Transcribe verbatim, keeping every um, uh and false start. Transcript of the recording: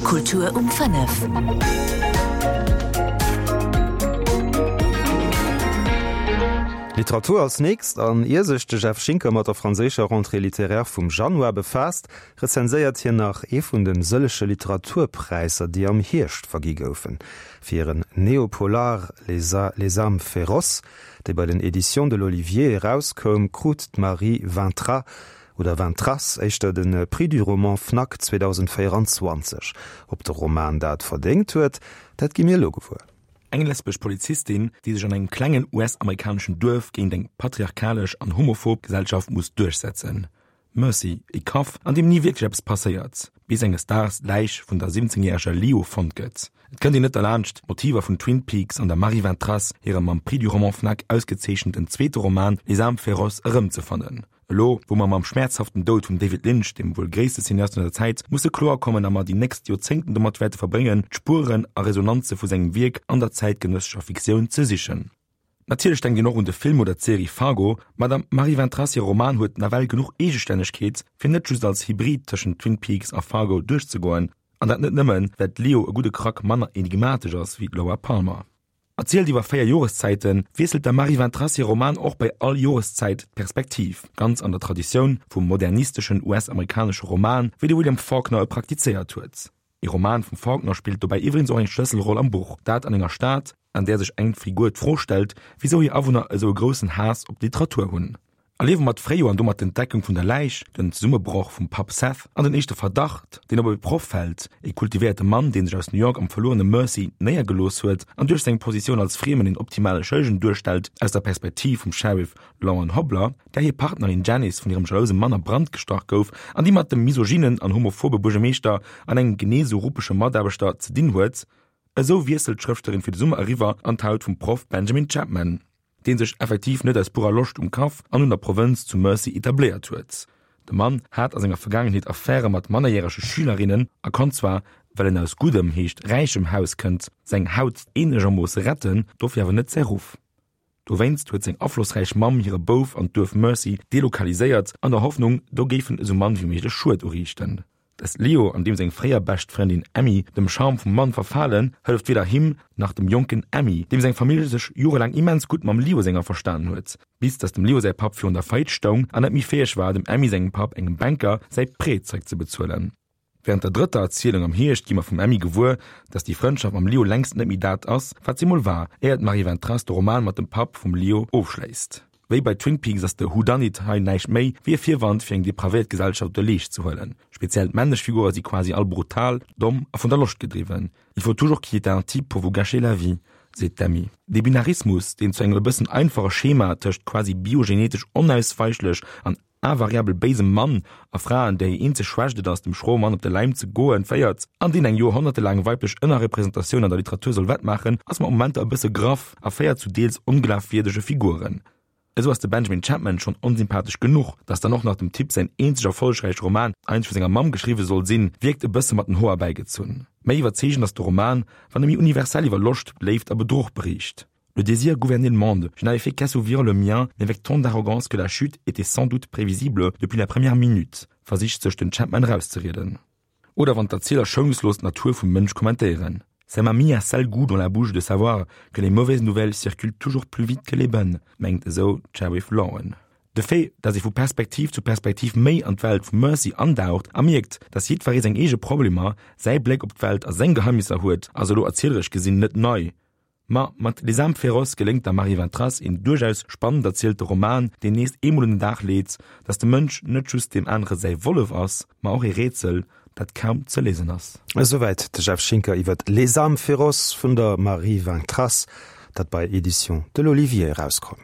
Kultur um fënnef. Literatur als nächst, an ier sech de Jeff Schinker mat der franséischer Rentrée littéraire vum Januar befaasst, rezenséiert hien nach ee vun de sëllege Literaturpräisser, déi am Hierscht vergi goufen. Fir hiren Neopolar Les les âmes féroces, dee bei den Éditions de l'Olivier erauskoum, krut d'Marie Vintras, oder Vintras éischter, de Prix du roman Fnac zweedausendvéierenzwanzeg. Ob de Roman dat verdéngt huet, dat gi mir elo gewuer. Eng lesbesch Polizistin, déi sech an engem klengen U S-amerikaneschen Duerf géint eng patriarchalesch an homophob Gesellschaft muss duerchsetzen. Mercy, e Kaff, an deem ni wierklech eppes passéiert, bis enges Daags d'Läich vun der siwwenzéngjäreger Leo fonnt gëtt. Et kënnt een net derlaanscht, d'Motiver vun Twin Peaks an der Marie Vintras hirem mam Prix du roman Fnac ausgezeechenten zweete Roman Les âmes féroces erëmzefannen. Elo, wou mer mam schmäerzhaften Doud vum David Lynch, dem wuel gréisste Cineast vun eiser Zäit, musse kloer kommen a mer déi nächst Joerzéngten domat wäerte verbréngen, d'Spueren a Resonanze vu sengem Wierk an der zäitgenëssescher Fiktioun ze sichen. Natierlech denkt een och un de Film oder d'Serie Fargo, ma der Marie Vintras hire Roman huet nawell genuch Eegestännegkeet, fir net just als Hybrid tëschent Twin Peaks a Fargo duerchzegoen, an dat net nëmmen, well d'Leo e gudde Krack manner enigmatesch ass wéi d'Laura Palmer. Erzielt iwwer véier Joreszäiten, wiesselt der Marie Vintras hir Roman och bei all Joreszäit d'Perspektiv, ganz an der Traditioun vum modernisteschen U S-amerikanesche Roman, wéi de William Faulkner e praktizéiert huet. Ee Roman vum Faulkner spillt dobäi iwwregens och eng Schlësselroll am Buch, dat an enger Stad, an där sech eng Figur d'Fro stellt, wisou hir Awunner esou e groussen Haass op d'Literatur hunn. Erliewe mer d'Fréijoer an domat d'Entdeckung vun der Läich, den Zesummebroch vum Papp Seth an den éischte Verdacht, deen op e Proff fält, e kultivéierte Mann, dee sech aus New York am verluerene Mercy néiergelooss huet an duerch seng Positioun als Friemen een optimale Schëllegen duerstellt aus der Perspektiv vum Sheriff Lauren Hobler, där hir Partnerin Janice vun hirem jalouse Mann a Brand gestach gouf an déi mat dem misogynen an homophobe Buergermeeschter an engem genee sou ruppege Mataarbechter ze dinn huet. Esou wiesselt d'Schrëftstellerin fir de Summer eriwwer an d'Haut vum Proff Benjamin Chapman, dee sech effektiv net aus purer Loscht um Kaff an un der Provënz zu Mercy etabléiert huet. De Mann hat a senger Vergaangenheet Affäre mat mannerjärege Schülerinnen a konnt zwar, well en aus guddem, heescht räichem Haus kënnt, seng Haut eenegermoosse retten, dofir awer net säi Ruff. Dowéinst huet seng aflossräich Mamm hire Bouf an d'Duerf Mercy delokaliséiert, an der Hoffnung, do géif en esou mann wéi méiglech Schued uriichten. Dass Leo an deem seng fréier bescht Frëndin Emmy dem Charme vum Mann verfalen, hëlleft weder him nach dem jonken Emmy, deem seng Famill sech jorelaang immens gutt mam Leo senger verstanen huet, bis dass dem Leo säi Papp virun der Faillite stoung an net méi fäeg war, dem Emmy sengem Papp, engem Banker, säi Prêt zeréckzebezuelen. Wärend der drëtter Erzielung am Hierscht gi mer vum Emmy gewuer, dass déi Frëndschaft mam Leo längst net méi dat ass, wat si mol war, éier d'Marie Vintras de Roman mat dem Papp vum Leo ofschléisst. Wéi bei Twin Peaks ass de Whodunit hei näischt méi wéi e Virwand fir eng depravéiert Gesellschaft op de Leescht ze huelen. Speziell d'männlech Figure si quasi all brutal, domm a vun der Loscht gedriwwen. Il faut toujours qu'il y ait un type pour vous gâcher la vie, seet d'Emmy. Dee Binarismus, deen zu engem e bëssen einfache Schema tëscht quasi biogenetesch onausweichlech an invariabel béisem Mann a Fraen, där hir eenzeg Schwächt et ass, dem schroe Mann op de Läim ze goen, féiert, an deen eng joerhonnertelaang weiblech Ënnerrepresentatioun an der Literatur soll wettmaachen, ass mat Momenter e bësse graff a féiert zu deels onglafwierdege Figuren. Esou ass de Benjamin Chapman schonn onsympathesch genuch, dass dann och nach dem Typ säin eenzeg erfollegräiche Roman eigentlech vu senger Mamm geschriwwe soll sinn, wierkt e bësse mat den Hoer erbäigezunn. Méi iwwerzeegend ass de Roman, wann e méi universell iwwer Loscht, Léift a Bedruch beriicht. Le désir gouvernait le monde, je n'avais fait qu'assouvir le mien, mais avec tant d'arrogance que la chute était sans doute prévisible depuis la première minute, versicht sech den Chapman erauszerieden. Oder wann d'Erzieler schoungslos d'Natur vum Mënsch kommentéieren. Ça m'a mis un sale goût dans la bouche de savoir que les mauvaises nouvelles circulent toujours plus vite que les bonnes, mengt esou d'Sheriff Lauren. De Fait, dass ee vu Perspektiv zu Perspektiv méi an d'Welt vum Mercy andaucht a mierkt, dass jiddweree seng eege Problemer, säi Bléck op d'Welt a seng Geheimnisser huet, ass elo erzieleresch gesinn net nei. Ma mat Les âmes féroces geléngt der Marie Vintras een duerchaus spannend erzielte Roman, deen nees eemol un den Dag leet, dass de Mënsch net just deem anere säi Wollef ass, ma och ee Rätsel, dat kaum ze léisen ass. Esouwäit de Jeff Schinker iwwer Les âmes féroces vun der Marie Vintras, dat bei Éditions de l'Olivier erauskoum.